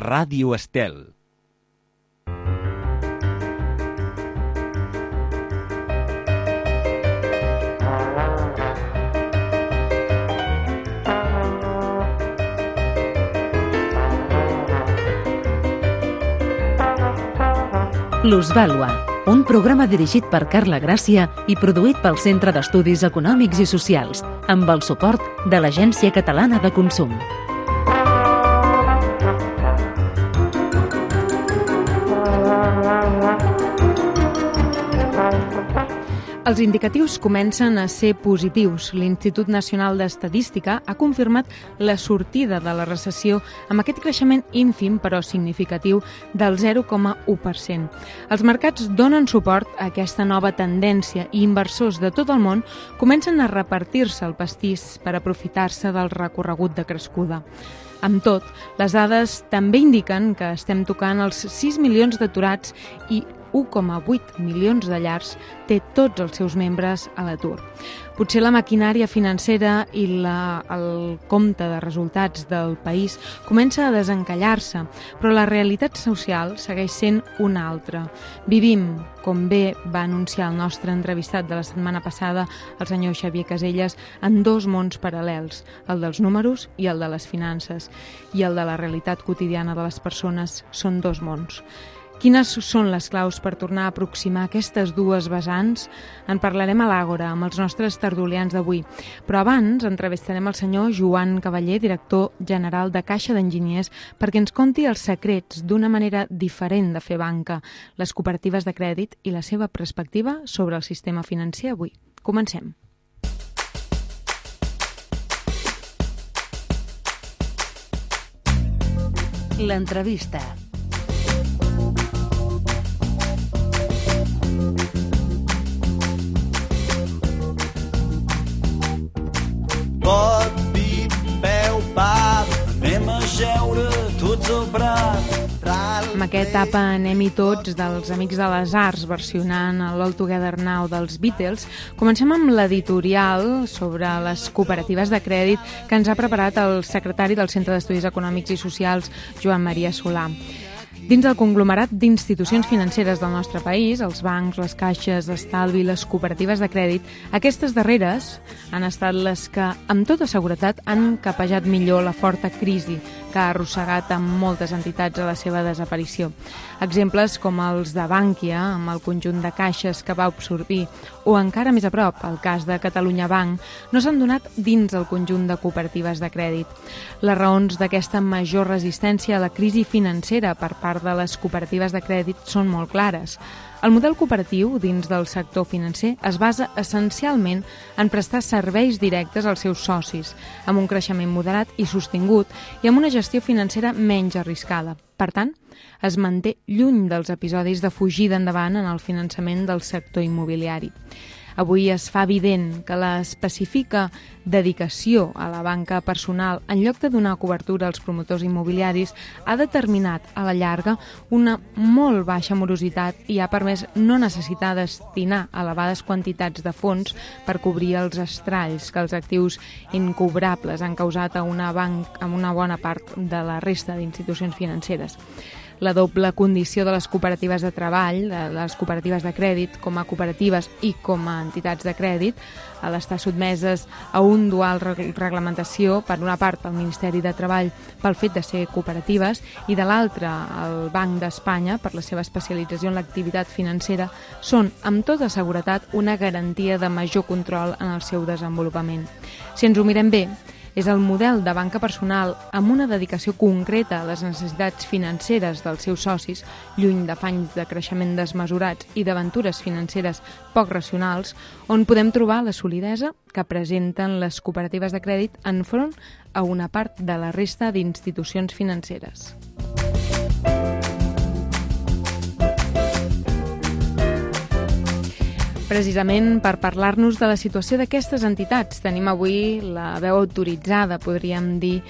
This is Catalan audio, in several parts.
Ràdio Estel. Plusvàlua, un programa dirigit per Carla Gràcia i produït pel Centre d'Estudis Econòmics i Socials, amb el suport de l'Agència Catalana de Consum. Els indicatius comencen a ser positius. L'Institut Nacional d'Estadística ha confirmat la sortida de la recessió amb aquest creixement ínfim però significatiu del 0,1%. Els mercats donen suport a aquesta nova tendència i inversors de tot el món comencen a repartir-se el pastís per aprofitar-se del recorregut de crescuda. Amb tot, les dades també indiquen que estem tocant els 6 milions d'aturats i 1,8 milions de llars té tots els seus membres a l'atur. Potser la maquinària financera i el compte de resultats del país comença a desencallar-se, però la realitat social segueix sent una altra. Vivim, com bé va anunciar el nostre entrevistat de la setmana passada, el senyor Xavier Caselles, en dos mons paral·lels, el dels números i el de les finances, i el de la realitat quotidiana de les persones són dos mons. Quines són les claus per tornar a aproximar aquestes dues vessants? En parlarem a l'Àgora amb els nostres tertulians d'avui. Però abans entrevistarem el senyor Joan Cavaller, director general de Caixa d'Enginyers, perquè ens conti els secrets d'una manera diferent de fer banca, les cooperatives de crèdit i la seva perspectiva sobre el sistema financer avui. Comencem. L'entrevista. Pot, pip, peu, pap, anem a jeure tots al prat. Amb aquesta etapa Anem-hi tots dels Amics de les Arts versionant l'All Together Now dels Beatles, comencem amb l'editorial sobre les cooperatives de crèdit que ens ha preparat el secretari del Centre d'Estudis Econòmics i Socials, Joan Maria Solà. Dins del conglomerat d'institucions financeres del nostre país, els bancs, les caixes d'estalvi i les cooperatives de crèdit, aquestes darreres han estat les que, amb tota seguretat, han capejat millor la forta crisi que ha arrossegat amb moltes entitats a la seva desaparició. Exemples com els de Bànquia, amb el conjunt de caixes que va absorbir, o encara més a prop, el cas de Catalunya Banc, no s'han donat dins el conjunt de cooperatives de crèdit. Les raons d'aquesta major resistència a la crisi financera per part de les cooperatives de crèdit són molt clares. El model cooperatiu dins del sector financer es basa essencialment en prestar serveis directes als seus socis, amb un creixement moderat i sostingut i amb una gestió financera menys arriscada. Per tant, es manté lluny dels episodis de fugida endavant en el finançament del sector immobiliari. Avui es fa evident que l'específica dedicació a la banca personal en lloc de donar cobertura als promotors immobiliaris ha determinat a la llarga una molt baixa morositat i ha permès no necessitar destinar elevades quantitats de fons per cobrir els estralls que els actius incobrables han causat a una bona part de la resta d'institucions financeres. La doble condició de les cooperatives de treball, de les cooperatives de crèdit com a cooperatives i com a entitats de crèdit, a l'estar sotmeses a un dual reglamentació, per una part el Ministeri de Treball pel fet de ser cooperatives i de l'altra el Banc d'Espanya per la seva especialització en l'activitat financera, són amb tota seguretat una garantia de major control en el seu desenvolupament. Si ens ho mirem bé, és el model de banca personal amb una dedicació concreta a les necessitats financeres dels seus socis, lluny d'afanys de creixement desmesurats i d'aventures financeres poc racionals, on podem trobar la solidesa que presenten les cooperatives de crèdit enfront a una part de la resta d'institucions financeres. Precisament per parlar-nos de la situació d'aquestes entitats tenim avui la veu autoritzada, podríem dir,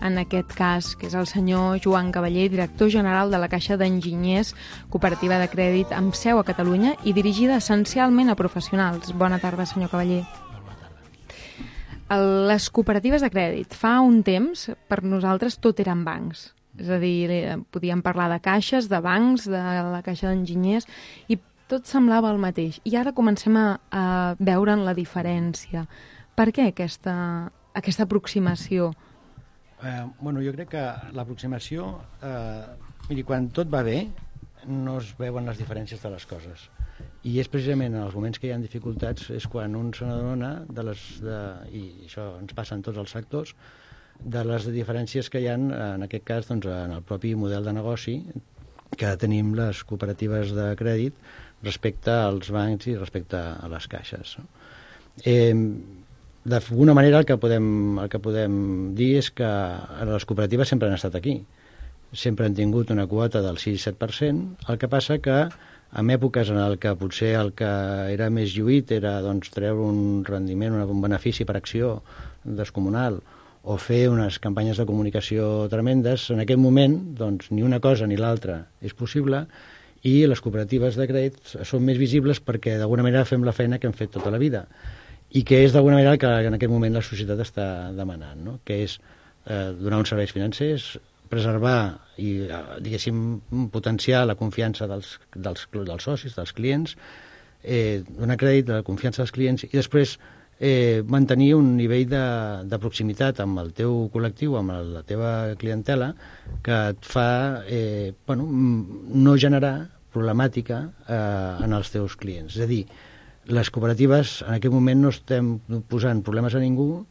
en aquest cas, que és el senyor Joan Cavaller, director general de la Caixa d'Enginyers, cooperativa de crèdit amb seu a Catalunya i dirigida essencialment a professionals. Bona tarda, senyor Cavaller. Les cooperatives de crèdit, fa un temps, per nosaltres tot eren bancs. És a dir, podíem parlar de caixes, de bancs, de la caixa d'enginyers, i tot semblava el mateix. I ara comencem a veure'n la diferència. Per què aquesta aproximació? Bueno, jo crec que l'aproximació... miri, quan tot va bé, no es veuen les diferències de les coses. I és precisament en els moments que hi ha dificultats és quan un se n'adona i això ens passa en tots els sectors, de les diferències que hi ha, en aquest cas, doncs, en el propi model de negoci que tenim les cooperatives de crèdit respecte als bancs i respecte a les caixes. D'alguna manera el que podem dir és que les cooperatives sempre han estat aquí. Sempre han tingut una quota del 6-7%, el que passa que en èpoques en què potser el que era més lluït era doncs, treure un rendiment, un benefici per acció descomunal o fer unes campanyes de comunicació tremendes, en aquest moment doncs, ni una cosa ni l'altra és possible i les cooperatives de crèdit són més visibles perquè d'alguna manera fem la feina que hem fet tota la vida i que és d'alguna manera el que en aquest moment la societat està demanant, no? Que és donar uns serveis financers, preservar i, diguéssim, potenciar la confiança dels socis, dels clients, donar crèdit a la confiança dels clients i després mantenir un nivell de proximitat amb el teu col·lectiu, amb la teva clientela, que et fa no generar problemàtica en els teus clients. És a dir, les cooperatives en aquest moment no estem posant problemes a ningú,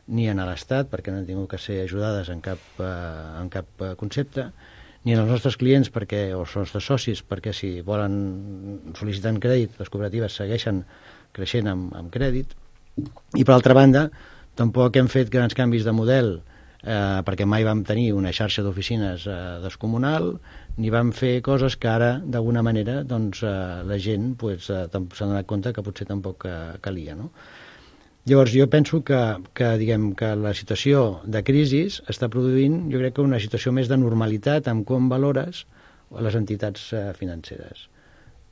ni a l'Estat, perquè no han tingut que ser ajudades en cap concepte, ni als nostres clients o als nostres socis, perquè si volen sol·licitar crèdit, les cooperatives segueixen creixent amb crèdit. I per altra banda, tampoc hem fet grans canvis de model, perquè mai vam tenir una xarxa d'oficines descomunal, ni vam fer coses que ara, d'alguna manera, doncs, la gent s'ha donat compte que potser tampoc calia, no? Llavors, jo penso que la situació de crisi està produint, jo crec que una situació més de normalitat amb com valores les entitats financeres.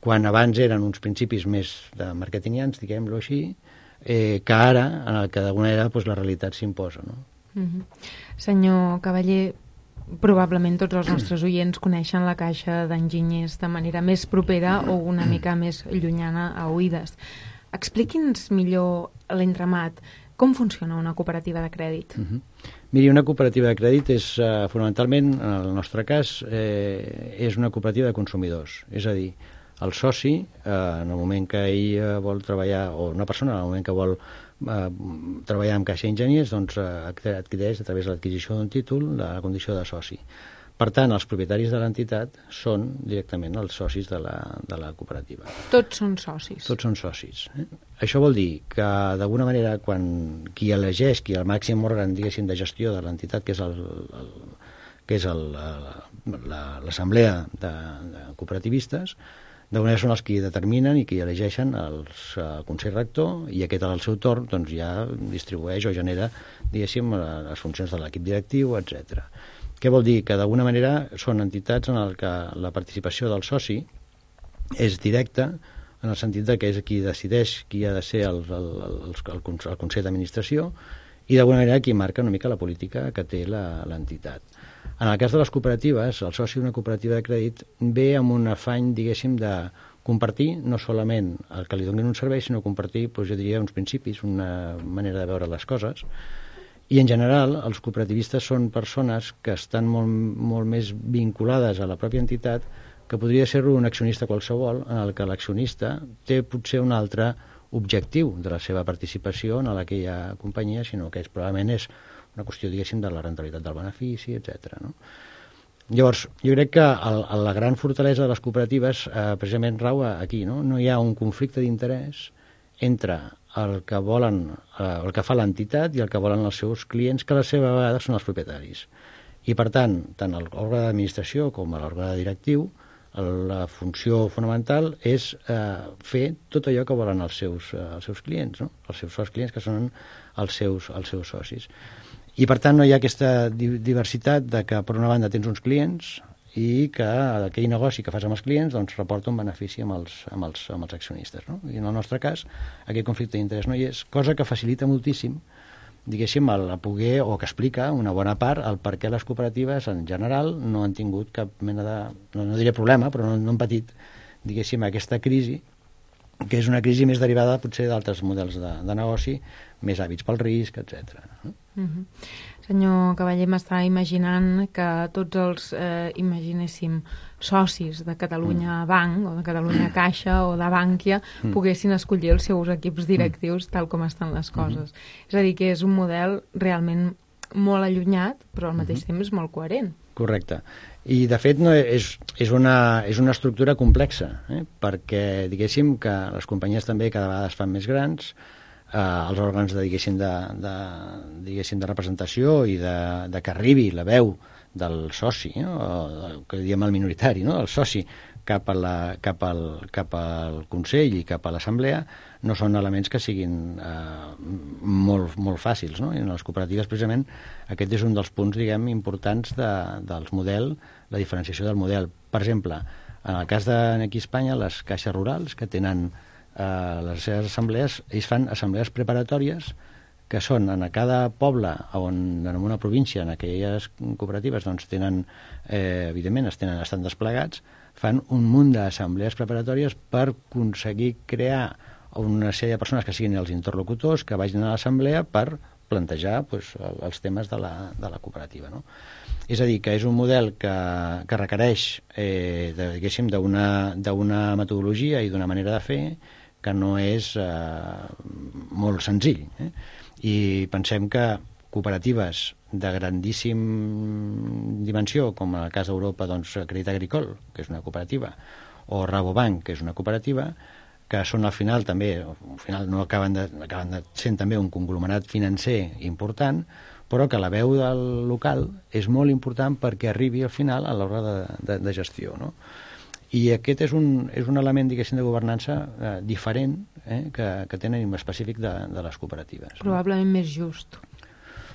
Quan abans eren uns principis més de marketingians, diguem-lo així, que ara, en el que d'alguna manera la realitat s'imposa, no? Senyor Cavaller, probablement tots els nostres oients coneixen la caixa d'enginyers de manera més propera o una mica més llunyana a oïdes. Expliqui'ns millor l'entramat. Com funciona una cooperativa de crèdit? Miri, una cooperativa de crèdit és, fonamentalment, en el nostre cas, és una cooperativa de consumidors. És a dir, el soci, en el moment que ell vol treballar, o una persona, en el moment que vol treballar amb caixa d'enginyers, doncs adquireix a través de l'adquisició d'un títol la condició de soci. Per tant, els propietaris de l'entitat són directament els socis de la cooperativa. Tots són socis? Tots són socis. Això vol dir que, d'alguna manera, quan qui elegeix, qui el màxim òrgan, diguéssim, de gestió de l'entitat, que és l'assemblea de cooperativistes, d'alguna manera són els que determinen i que elegeixen el Consell Rector i aquest al seu torn doncs, ja distribueix o genera, diguéssim, les funcions de l'equip directiu, etc. Què vol dir? Que d'alguna manera són entitats en què la participació del soci és directa en el sentit que és qui decideix qui ha de ser el Consell d'Administració i d'alguna manera qui marca una mica la política que té l'entitat. En el cas de les cooperatives, el soci d'una cooperativa de crèdit ve amb un afany, diguéssim, de compartir no solament el que li donin un servei, sinó compartir, jo diria, uns principis, una manera de veure les coses. I en general els cooperativistes són persones que estan molt més vinculades a la pròpia entitat que podria ser un accionista qualsevol en el que l'accionista té potser un altre objectiu de la seva participació en aquella companyia, sinó que probablement és una qüestió, diguéssim, de la rendibilitat del benefici, etc. No? Llavors, jo crec que la gran fortalesa de les cooperatives precisament rau aquí, no? No hi ha un conflicte d'interès entre el que volen, el que fa l'entitat i el que volen els seus clients, que a la seva vegada són els propietaris. I per tant l'òrgan d'administració com l'òrgan directiu, la funció fonamental és fer tot allò que volen els seus clients, no? Els seus clients que són els seus socis. I per tant no hi ha aquesta diversitat de que per una banda tens uns clients i que aquell negoci que fas amb els clients doncs reporta un benefici amb els accionistes, no? I en el nostre cas aquest conflicte d'interès no hi és, cosa que facilita moltíssim diguéssim, a poder, o que explica una bona part el per què les cooperatives en general no han tingut cap mena de, no diré problema, però no han patit, diguéssim, aquesta crisi, que és una crisi més derivada potser d'altres models de negoci, més hàbits pel risc, etc. Senyor Cavaller, m'estava imaginant que tots els, imaginéssim, socis de Catalunya Banc o de Catalunya Caixa o de Bànquia poguessin escollir els seus equips directius tal com estan les coses. És a dir, que és un model realment molt allunyat, però al mateix temps molt coherent. Correcte. I, de fet, no és una estructura complexa, perquè, diguéssim, que les companyies també cada vegada es fan més grans, els òrgans diguéssim, de representació i de que arribi la veu del soci, no? Que diem el minoritari, no? El soci cap al Consell i cap a l'Assemblea no són elements que siguin molt fàcils, no? I en les cooperatives, precisament, aquest és un dels punts, diguem, importants del model, la diferenciació del model. Per exemple, en el cas d'aquí a Espanya, les caixes rurals, que tenen les seves assemblees, ells fan assemblees preparatòries que són en cada poble en una província, en aquelles cooperatives, doncs tenen, evidentment, estan desplegats, fan un munt d'assemblees preparatòries per aconseguir crear una sèrie de persones que siguin els interlocutors, que vagin a l'assemblea per plantejar els temes de la cooperativa, no? És a dir, que és un model que requereix, diguéssim, d'una metodologia i d'una manera de fer que no és molt senzill. I pensem que cooperatives de grandíssim dimensió, com en el cas d'Europa, doncs, Crédit Agricole, que és una cooperativa, o Rabobank, que és una cooperativa, que són al final també, no acaben de sent també un conglomerat financer important, però que la veu del local és molt important perquè arribi al final a l'hora de gestió, no? I aquest és un element, diguéssim, de governança diferent que tenen específic de les cooperatives. Probablement més just.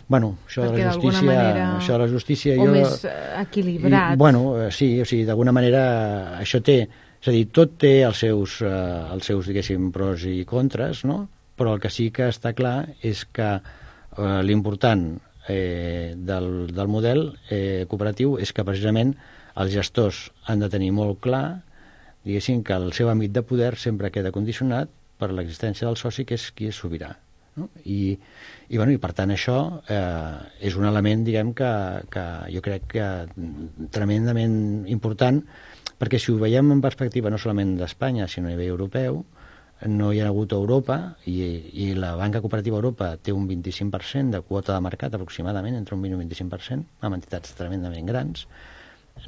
Bueno, això de la justícia... O més equilibrat. Sí, o sigui, d'alguna manera això té... És a dir, tot té els seus, diguéssim, pros i contres, no? Però el que sí que està clar és que l'important del model cooperatiu és que precisament els gestors han de tenir molt clar, diguéssim, que el seu àmbit de poder sempre queda condicionat per l'existència del soci, que és qui és sobirà, no? I per tant això és un element, diguem, que jo crec que tremendament important, perquè si ho veiem en perspectiva no solament d'Espanya, sinó a nivell europeu, no hi ha hagut a Europa, i la banca cooperativa a Europa té un 25% de quota de mercat, aproximadament, entre un 20 i un 25%, amb entitats tremendament grans,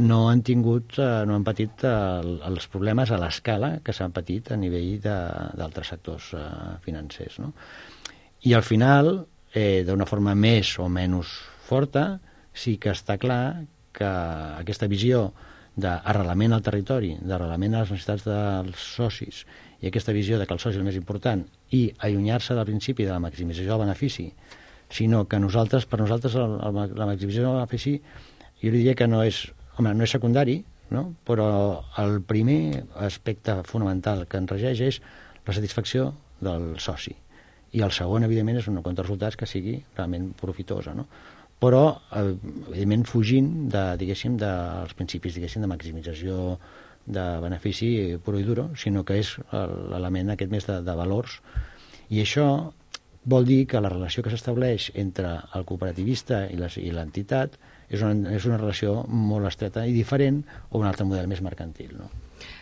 no han patit els problemes a l'escala que s'han patit a nivell d'altres sectors financers, no? I al final, d'una forma més o menys forta, sí que està clar que aquesta visió d'arrelament al territori, d'arrelament a les necessitats dels socis, i aquesta visió de que el soci és el més important, i allunyar-se del principi de la maximització del benefici, sinó que per nosaltres la maximització del benefici, jo diria que no és secundari, no? Però el primer aspecte fonamental que ens regeix és la satisfacció del soci. I el segon, evidentment, és una compte de resultats que sigui realment profitosa, no? Però, evidentment, fugint dels principis, de maximització de benefici puro i duro, sinó que és l'element aquest més de valors. I això vol dir que la relació que s'estableix entre el cooperativista i l'entitat és una relació molt estreta i diferent o un altre model més mercantil, no?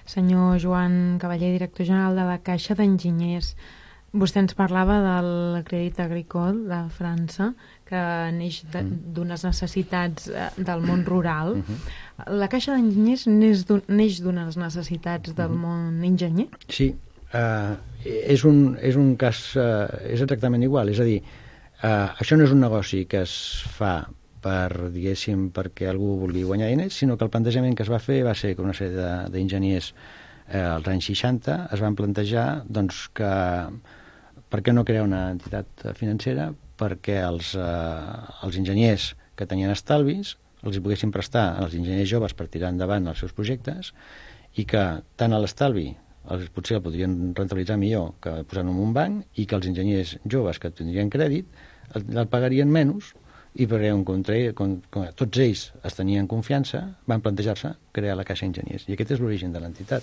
Senyor Joan Cavaller, director general de la Caixa d'Enginyers, vostè ens parlava del Crédit Agricole de França, que neix d'unes necessitats del món rural. La Caixa d'Enginyers neix d'unes necessitats del món enginyer? Sí, és un cas, és exactament igual, és a dir, això no és un negoci que es fa perquè algú vulgui guanyar diners, sinó que el plantejament que es va fer va ser que una sèrie d'enginyers als anys 60 es van plantejar doncs, que per què no crear una entitat financera perquè els enginyers que tenien estalvis els hi poguessin prestar als enginyers joves per tirar endavant els seus projectes, i que tant a l'estalvi potser el podrien rentabilitzar millor que posant-ho en un banc, i que els enginyers joves que tindrien crèdit el pagarien menys, i perquè tots ells es tenien confiança, van plantejar-se crear la Caixa Enginyers, i aquest és l'origen de l'entitat.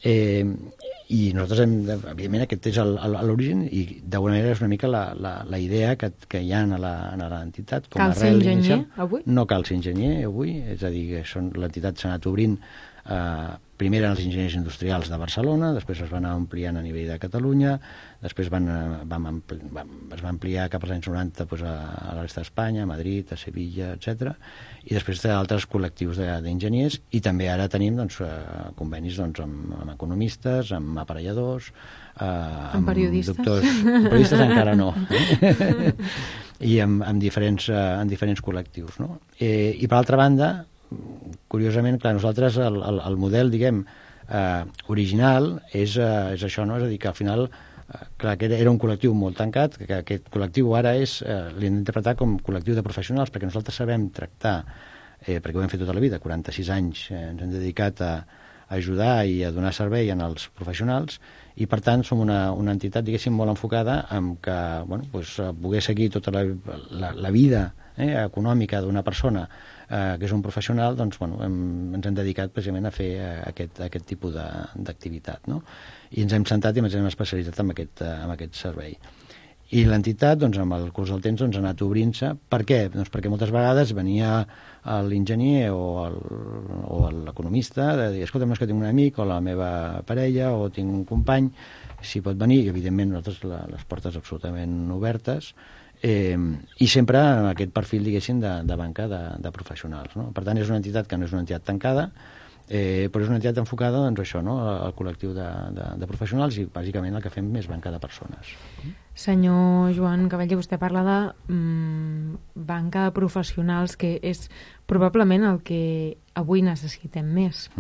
I nosaltres evidentment aquest és l'origen, i d'alguna manera és una mica la idea que hi ha a l'entitat. Cal ser enginyer avui? No cal ser enginyer avui, és a dir, l'entitat s'ha anat obrint primer eren els enginyers industrials de Barcelona, després es van ampliant a nivell de Catalunya, després es va ampliar cap als anys 90 a la resta d'Espanya, a Madrid, a Sevilla, etc. I després altres col·lectius d'enginyers, i també ara tenim convenis amb economistes, amb aparelladors, amb periodistes? Periodistes encara no. I amb diferents col·lectius. No? I per altra banda, curiosament, clar, nosaltres el model, diguem, original és això, no? És a dir, que al final clar, que era un col·lectiu molt tancat, que aquest col·lectiu ara l'hem d'interpretar com col·lectiu de professionals, perquè nosaltres sabem tractar, perquè ho hem fet tota la vida, 46 anys ens hem dedicat a ajudar i a donar servei als professionals, i per tant som una entitat, diguéssim, molt enfocada en que poder seguir tota la vida econòmica d'una persona que és un professional, doncs ens hem dedicat precisament a fer aquest tipus d'activitat, no? I ens hem centrat i ens hem especialitzat en aquest servei. I l'entitat, amb el curs del temps, ha anat obrint-se. Per què? Doncs perquè moltes vegades venia l'enginyer o l'economista de dir, escolta, és que tinc un amic o la meva parella o tinc un company, si pot venir, i evidentment nosaltres les portes absolutament obertes, i sempre amb aquest perfil, diguéssim, de banca de professionals, no? Per tant, és una entitat que no és una entitat tancada, però és una entitat enfocada al col·lectiu de professionals, i bàsicament el que fem és banca de persones. Senyor Joan Cavaller, vostè parla de banca de professionals, que és probablement el que avui necessitem més.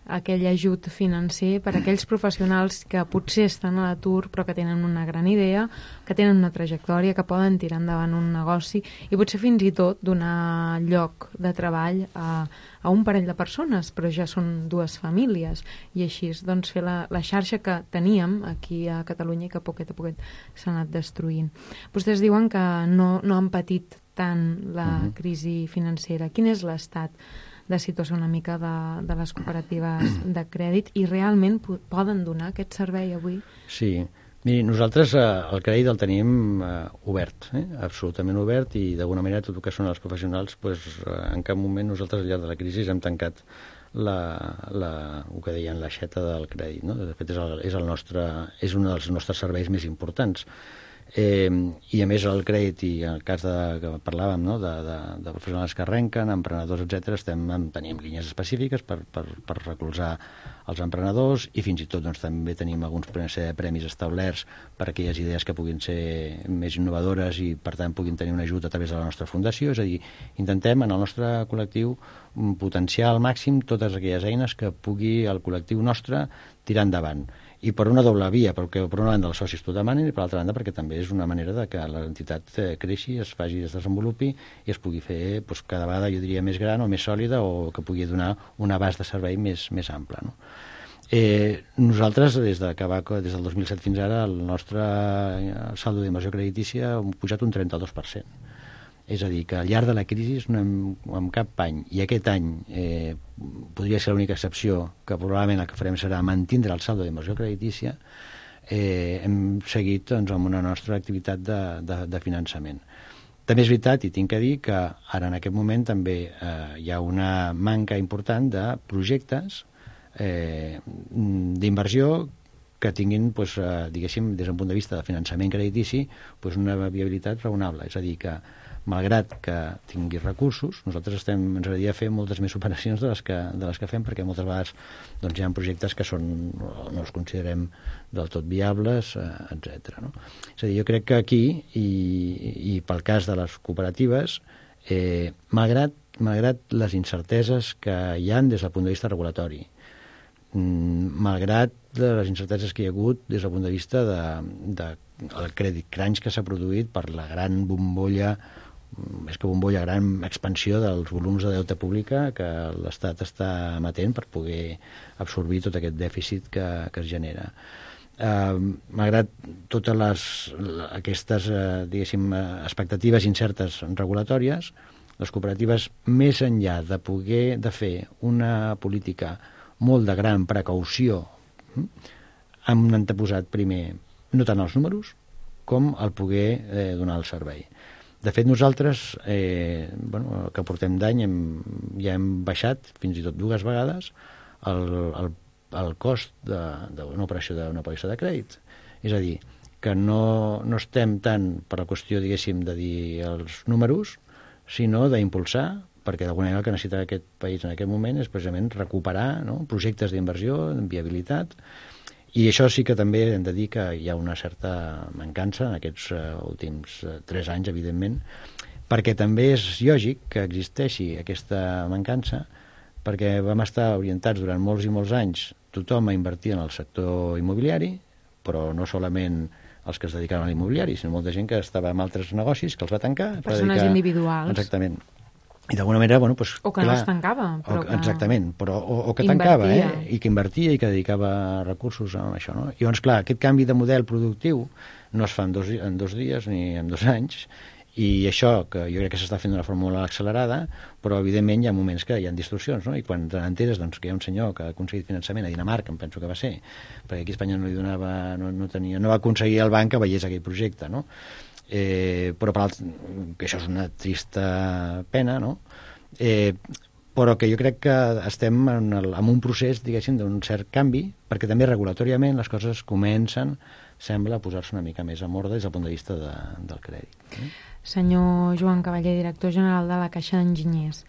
Aquell ajut financer per a aquells professionals que potser estan a l'atur però que tenen una gran idea, que tenen una trajectòria, que poden tirar endavant un negoci i potser fins i tot donar lloc de treball a un parell de persones, però ja són dues famílies, i així doncs fer la xarxa que teníem aquí a Catalunya i que a poquet s'ha anat destruint. Vostès diuen que no han patit tant la crisi financera. Quin és l'estat de situació una mica de les cooperatives de crèdit, i realment poden donar aquest servei avui? Sí, miri, nosaltres el crèdit el tenim obert, absolutament obert, i d'alguna manera tot el que són els professionals, en cap moment nosaltres al llarg de la crisi hem tancat el que deien l'aixeta del crèdit, no? De fet és un dels nostres serveis més importants. I a més el crèdit, i en el cas que parlàvem, no? de professionals que arrenquen, emprenedors, etc., tenim línies específiques per recolzar els emprenedors, i fins i tot també tenim alguns premis establerts per a aquelles idees que puguin ser més innovadores i per tant puguin tenir un ajut a través de la nostra fundació. És a dir, intentem en el nostre col·lectiu potenciar al màxim totes aquelles eines que pugui el col·lectiu nostre tirar endavant. I per una doble via, perquè per una banda els socis t'ho demanen, i per l'altra banda perquè també és una manera de que l'entitat creixi, es desenvolupi i es pugui fer cada vegada, jo diria, més gran o més sòlida, o que pugui donar un abast de servei més ample, no? Nosaltres, des del 2007 fins ara, el nostre saldo d'inversió creditícia ha pujat un 32%. És a dir, que al llarg de la crisi no hem cap any, i aquest any podria ser l'única excepció, que probablement el que farem serà mantindre el saldo d'inversió creditícia, hem seguit amb una nostra activitat de finançament. També és veritat, i tinc que dir, que ara en aquest moment també hi ha una manca important de projectes d'inversió que tinguin, diguéssim, des d'un punt de vista de finançament creditici, una viabilitat raonable. És a dir, que malgrat que tingui recursos, nosaltres ens agradaria fer moltes més operacions de les que fem, perquè moltes vegades hi ha projectes que no els considerem del tot viables, etc. No? És a dir, jo crec que aquí, i pel cas de les cooperatives, malgrat les incerteses que hi ha des del punt de vista regulatori, malgrat les incerteses que hi ha hagut des del punt de vista del credit crunch que s'ha produït per la gran bombolla, més que bombolla, gran expansió dels volums de deute pública que l'Estat està emetent per poder absorbir tot aquest dèficit que es genera. malgrat totes aquestes diguéssim, expectatives incertes regulatòries, les cooperatives, més enllà de poder de fer una política molt de gran precaució, han anteposat primer no tant els números com el poder donar el servei. De fet, nosaltres, el que portem d'any, ja hem baixat fins i tot 2 vegades el cost d'una operació de crèdit. És a dir, que no estem tant per la qüestió, diguéssim, de dir els números, sinó d'impulsar, perquè d'alguna manera el que necessita aquest país en aquest moment és precisament recuperar, no?, projectes d'inversió, en viabilitat, i això sí que també hem de dir que hi ha una certa mancança en aquests últims 3 anys, evidentment, perquè també és lògic que existeixi aquesta mancança, perquè vam estar orientats durant molts i molts anys tothom a invertir en el sector immobiliari, però no solament els que es dedicaven a l'immobiliari, sinó molta gent que estava en altres negocis, que els va tancar. Persones individuals. Exactament. I d'alguna manera, bueno, doncs, o que clar, no es tancava. Però exactament, però, o que tancava, i que invertia i que dedicava recursos a això, no? I llavors, clar, aquest canvi de model productiu no es fa en 2 dies ni en 2 anys, i això, que jo crec que s'està fent d'una forma molt accelerada, però evidentment hi ha moments que hi ha distorsions, no? I quan t'enteres doncs, que hi ha un senyor que ha aconseguit finançament a Dinamarca, em penso que va ser, perquè aquí a Espanya no li donava, no va aconseguir el banc que veiés aquell projecte, no? Però que això és una trista pena, no? Però que jo crec que estem en un procés, diguéssim, d'un cert canvi, perquè també regulatòriament les coses comencen, sembla, a posar-se una mica més en ordre des del punt de vista del crèdit. Senyor Joan Cavaller, director general de la Caixa d'Enginyers,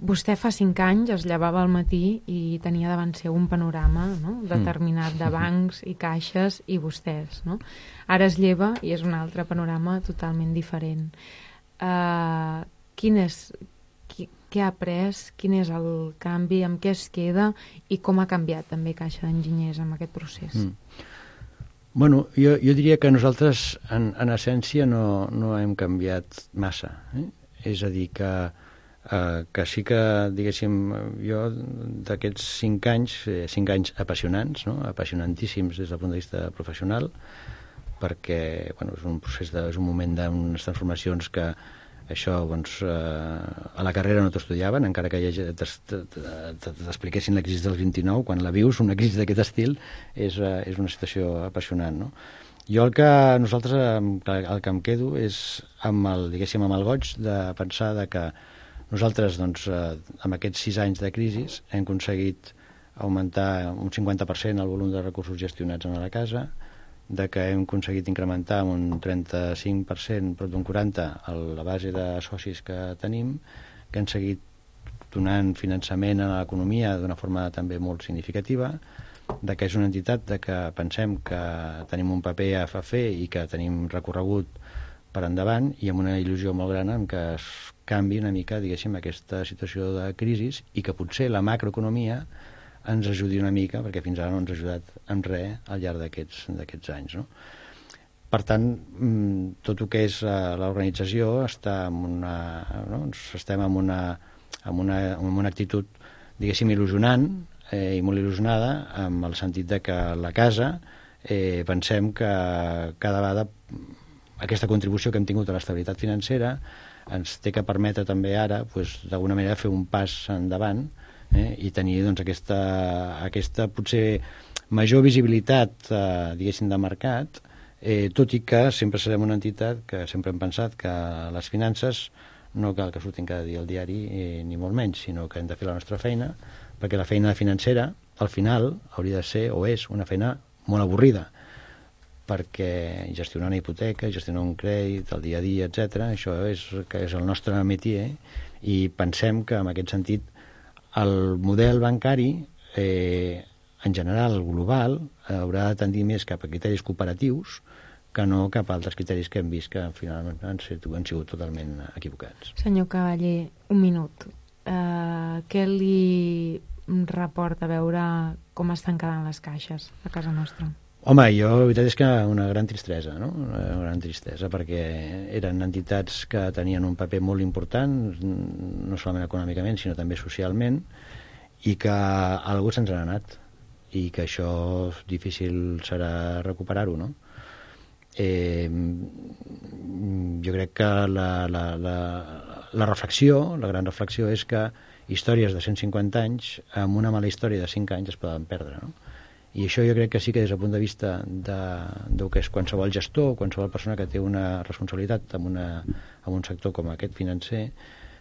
vostè fa 5 anys es llevava al matí i tenia davant seu un panorama, no?, determinat de bancs i caixes i vostès, no? Ara es lleva i és un altre panorama totalment diferent. Què ha après, quin és el canvi, amb què es queda i com ha canviat també Caixa d'Enginyers amb aquest procés? Bueno, jo diria que nosaltres en essència no hem canviat massa, És a dir, que sí que, diguéssim, jo d'aquests 5 anys, 5 anys apassionants, no?, apassionantíssims des del punt de vista professional, perquè bueno, és un procés, és un moment d'unes transformacions que això, doncs, a la carrera no t'estudiaven, encara que t'expliquessin la crisi del 29, quan la vius, una crisi d'aquest estil, és una situació apassionant, no? Jo el que em quedo és amb el goig de pensar que nosaltres, doncs, amb aquests 6 anys de crisi hem aconseguit augmentar un 50% el volum de recursos gestionats a la casa, de que hem aconseguit incrementar un 35%, prop d'un 40%, la base de socis que tenim, que han seguit donant finançament a l'economia d'una forma també molt significativa, de que és una entitat de que pensem que tenim un paper a fer i que tenim recorregut per endavant, i amb una il·lusió molt gran en que es canvi una mica, diguéssim, aquesta situació de crisi i que potser la macroeconomia ens ajudi una mica, perquè fins ara no ens ha ajudat en res al llarg d'aquests anys, no? Per tant, tot el que és l'organització està estem amb una actitud, diguéssim, il·lusionant i molt il·lusionada, amb el sentit de que la casa pensem que cada vegada aquesta contribució que hem tingut a l'estabilitat financera ens té que permetre també ara, d'alguna manera, fer un pas endavant i tenir, doncs, aquesta potser major visibilitat, diguéssim, de mercat, tot i que sempre serem una entitat que sempre hem pensat que les finances no cal que surtin cada dia al diari, ni molt menys, sinó que hem de fer la nostra feina, perquè la feina financera, al final, hauria de ser, o és, una feina molt avorrida, perquè gestionar una hipoteca, gestionar un crèdit, el dia a dia, etc., això és el nostre métier, i pensem que, en aquest sentit, el model bancari, en general, global, haurà de tendir més cap a criteris cooperatius que no cap a altres criteris que hem vist que finalment han sigut totalment equivocats. Senyor Cavaller, un minut. Què li reporta veure com estan quedant les caixes a casa nostra? Home, la veritat és que una gran tristesa, no? Una gran tristesa, perquè eren entitats que tenien un paper molt important, no solament econòmicament, sinó també socialment, i que algú se'ns n'ha anat. i que això difícil serà recuperar-ho, no? Jo crec que la reflexió, la gran reflexió és que històries de 150 anys amb una mala història de 5 anys es poden perdre, no? I això jo crec que sí que des del punt de vista del que és qualsevol gestor, qualsevol persona que té una responsabilitat en un sector com aquest financer,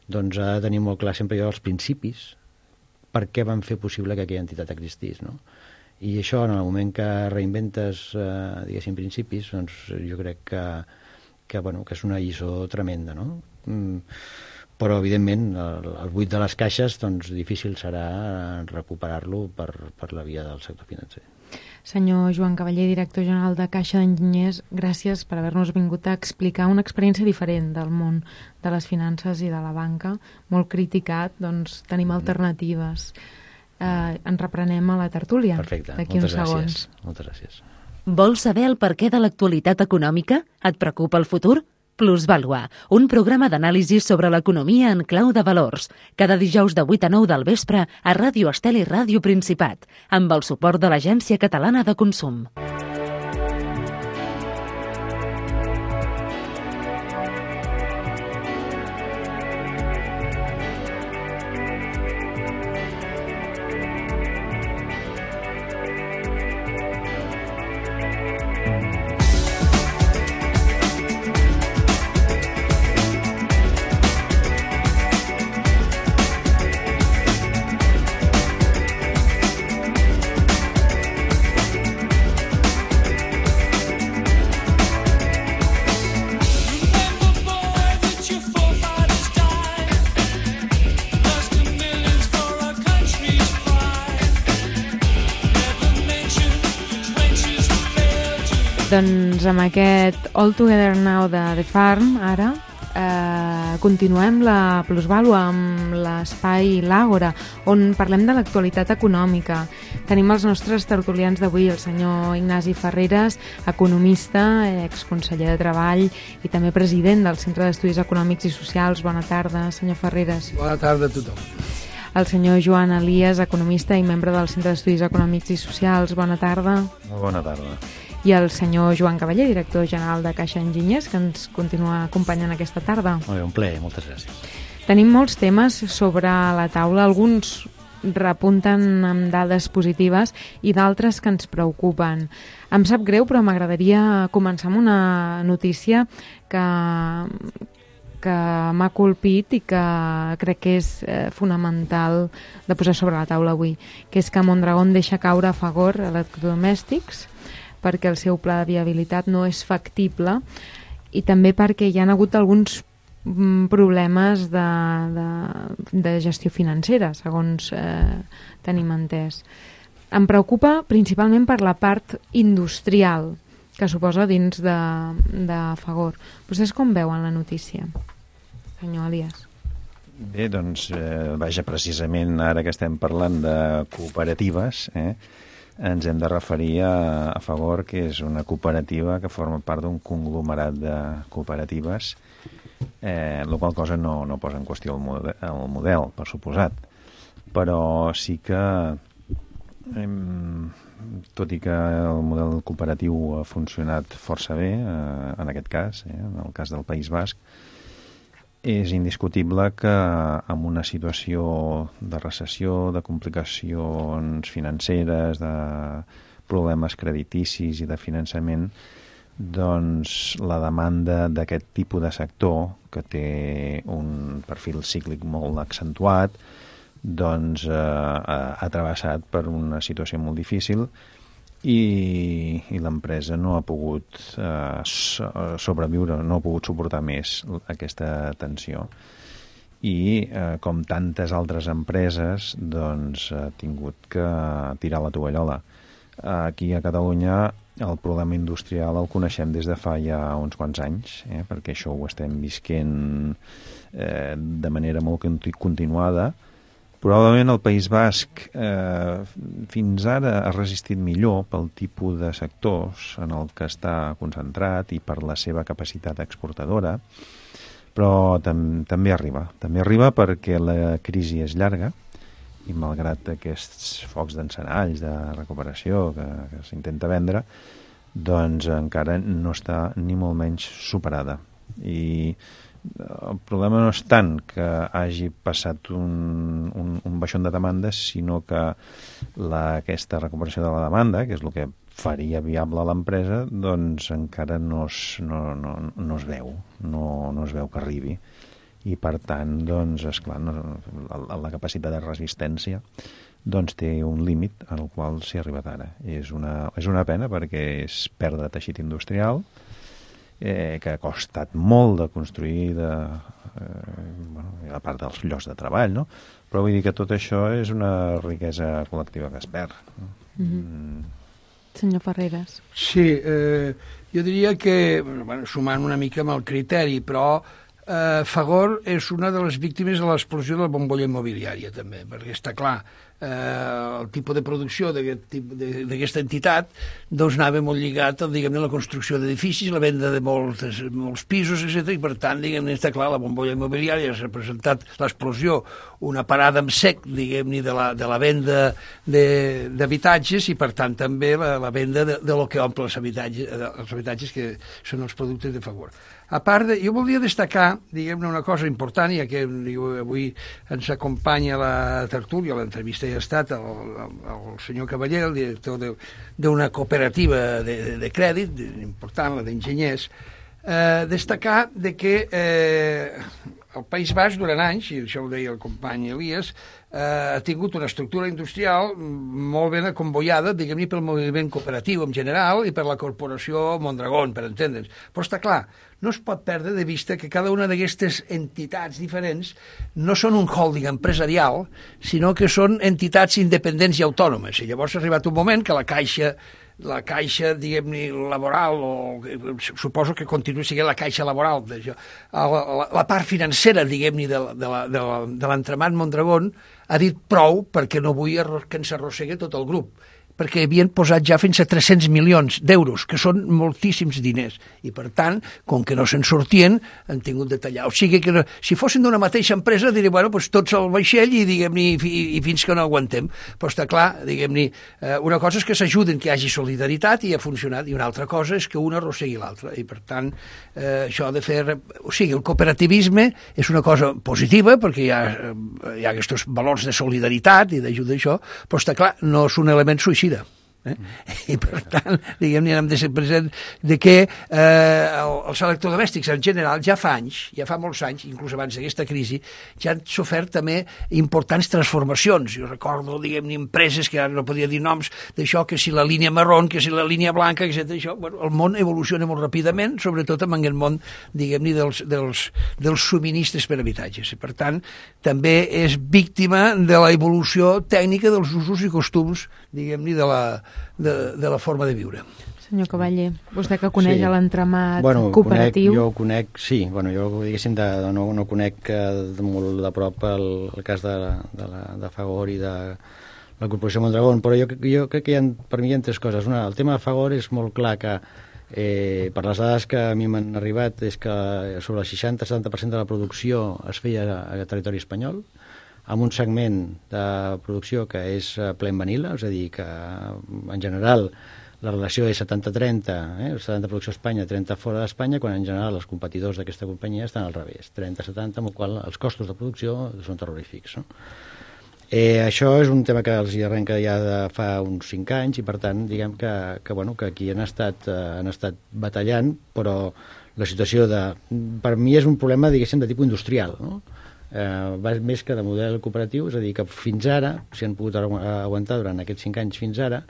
doncs ha de tenir molt clar sempre els principis per què van fer possible que aquella entitat existís, no? I això, en el moment que reinventes, diguéssim, principis, doncs jo crec que és una lliçó tremenda, no? Però, evidentment, el buit de les caixes, doncs, difícil serà recuperar-lo per la via del sector financer. Senyor Joan Cavaller, director general de Caixa d'Enginyers, gràcies per haver-nos vingut a explicar una experiència diferent del món de les finances i de la banca, molt criticat, doncs tenim alternatives. Ens reprenem a la tertúlia. Perfecte, d'aquí uns segons. Moltes gràcies. Vols saber el perquè de l'actualitat econòmica? Et preocupa el futur? Plusvàlua, un programa d'anàlisi sobre l'economia en clau de valors. Cada dijous de 8 a 9 del vespre a Ràdio Estel i Ràdio Principat, amb el suport de l'Agència Catalana de Consum. Doncs amb aquest All Together Now de The Farm, ara, continuem la plusvàlua amb l'espai L'Àgora, on parlem de l'actualitat econòmica. Tenim els nostres tertulians d'avui, el senyor Ignasi Ferreres, economista, exconseller de Treball i també president del Centre d'Estudis Econòmics i Socials. Bona tarda, senyor Ferreres. Bona tarda a tothom. El senyor Joan Elias, economista i membre del Centre d'Estudis Econòmics i Socials. Bona tarda. Molt bona tarda. I el senyor Joan Cavaller, director general de Caixa Enginyers, que ens continua acompanyant aquesta tarda. Molt bé, un plaer, moltes gràcies. Tenim molts temes sobre la taula, alguns repunten amb dades positives i d'altres que ens preocupen. Em sap greu, però m'agradaria començar amb una notícia que m'ha colpit i que crec que és fonamental de posar sobre la taula avui, que és que Mondragón deixa caure a Fagor electrodomèstics perquè el seu pla de viabilitat no és factible i també perquè hi ha hagut alguns problemes de gestió financera, segons tenim entès. Em preocupa principalment per la part industrial que suposa dins de Fagor. Vostès com veuen la notícia, senyor Elias? Bé, doncs, vaja, precisament ara que estem parlant de cooperatives, ens hem de referir a Fagor, que és una cooperativa que forma part d'un conglomerat de cooperatives, la qual cosa no posa en qüestió el model, per suposat. Però sí que, tot i que el model cooperatiu ha funcionat força bé, en aquest cas, en el cas del País Basc, és indiscutible que en una situació de recessió, de complicacions financeres, de problemes crediticis i de finançament, doncs la demanda d'aquest tipus de sector, que té un perfil cíclic molt accentuat, doncs ha travessat per una situació molt difícil i l'empresa no ha pogut sobreviure, no ha pogut suportar més aquesta tensió. I com tantes altres empreses, doncs ha tingut que tirar la tovallola. Aquí a Catalunya el problema industrial el coneixem des de fa ja uns quants anys, perquè això ho estem visquent de manera molt continuada. Probablement el País Basc fins ara ha resistit millor pel tipus de sectors en el que està concentrat i per la seva capacitat exportadora, però també arriba. També arriba perquè la crisi és llarga i malgrat aquests focs d'encenalls de recuperació que s'intenta vendre, doncs encara no està ni molt menys superada. I el problema no és tant que hagi passat un baixón de demandes, sinó que aquesta recuperació de la demanda, que és el que faria viable l'empresa, doncs encara no es veu, no es veu que arribi. I per tant, doncs, esclar, la capacitat de resistència doncs té un límit en el qual s'hi ha arribat ara. És una pena perquè és perdre teixit industrial, que ha costat molt de construir, a part dels llocs de treball, no? Però vull dir que tot això és una riquesa col·lectiva que es perd. Senyor Ferreres. Sí, jo diria que, sumant una mica amb el criteri, però Fagor és una de les víctimes de l'explosió de la bombolla immobiliària, també, perquè està clar, el tipus de producció d'aquesta entitat doncs anava molt lligat a la construcció d'edificis, la venda de molts pisos, etc. I per tant, està clar, la bombolla immobiliària ha representat l'explosió, una parada en sec, de la venda d'habitatges i per tant també la venda de lo que omple els habitatges que són els productes de Fagor. A part, jo voldria destacar, una cosa important, ja que avui ens acompanya la tertúlia, l'entrevista ja ha estat el senyor Cavaller, el director d'una cooperativa de crèdit important, la d'enginyers, destacar que el País Basc durant anys, i això ho deia el company Elias, ha tingut una estructura industrial molt ben acomboiada, pel moviment cooperatiu en general i per la corporació Mondragón, per entendre'ns. Però està clar, no es pot perdre de vista que cada una d'aquestes entitats diferents no són un holding empresarial, sinó que són entitats independents i autònomes. I llavors ha arribat un moment que la caixa, laboral, o suposo que continua sent la caixa laboral, la part financera, de l'entramat Mondragón, ha dit prou perquè no vull que ens arrossegui tot el grup, perquè havien posat ja fins a 300 milions d'euros, que són moltíssims diners, i per tant, com que no se'n sortien, han tingut de tallar. O sigui que si fossin d'una mateixa empresa, diria, tots al vaixell i fins que no aguantem. Però està clar, una cosa és que s'ajuden, que hi hagi solidaritat i ha funcionat, i una altra cosa és que una arrossegui l'altra, i per tant, això de fer... O sigui, el cooperativisme és una cosa positiva, perquè hi ha aquests valors de solidaritat i d'ajuda a això, però està clar, no és un element suïcida. I per tant, hem de ser presents que els electrodomèstics en general ja fa molts anys, inclús abans d'aquesta crisi, ja han sofert també importants transformacions. Jo recordo, empreses que ara no podia dir noms, d'això, que si la línia marró, que si la línia blanca, etc. El món evoluciona molt ràpidament, sobretot en el món, dels subministres per habitatges. I per tant, també és víctima de la evolució tècnica dels usos i costums, de la forma de viure. Senyor Cavaller, vostè que coneix l'entramat cooperatiu... Jo ho conec, sí. Jo, diguéssim, no conec de molt de prop el cas de Fagor i de la Corporació Mondragón, però jo crec que per mi hi ha tres coses. Una, el tema de Fagor és molt clar que, per les dades que a mi m'han arribat, és que sobre el 60-70% de la producció es feia a territori espanyol, amb un segment de producció que és ple en vanilla, és a dir, que en general la relació és 70-30, 70 producció a Espanya, 30 fora d'Espanya, quan en general els competidors d'aquesta companyia estan al revés, 30-70, amb el qual els costos de producció són terrorífics. No? Això és un tema que els hi arrenca ja de fa uns 5 anys i, per tant, diguem que aquí han estat batallant, però la situació per mi és un problema, diguéssim, de tipus industrial, no? Va més que de model cooperatiu, és a dir, que fins ara, si han pogut aguantar durant aquests 5 anys fins ara,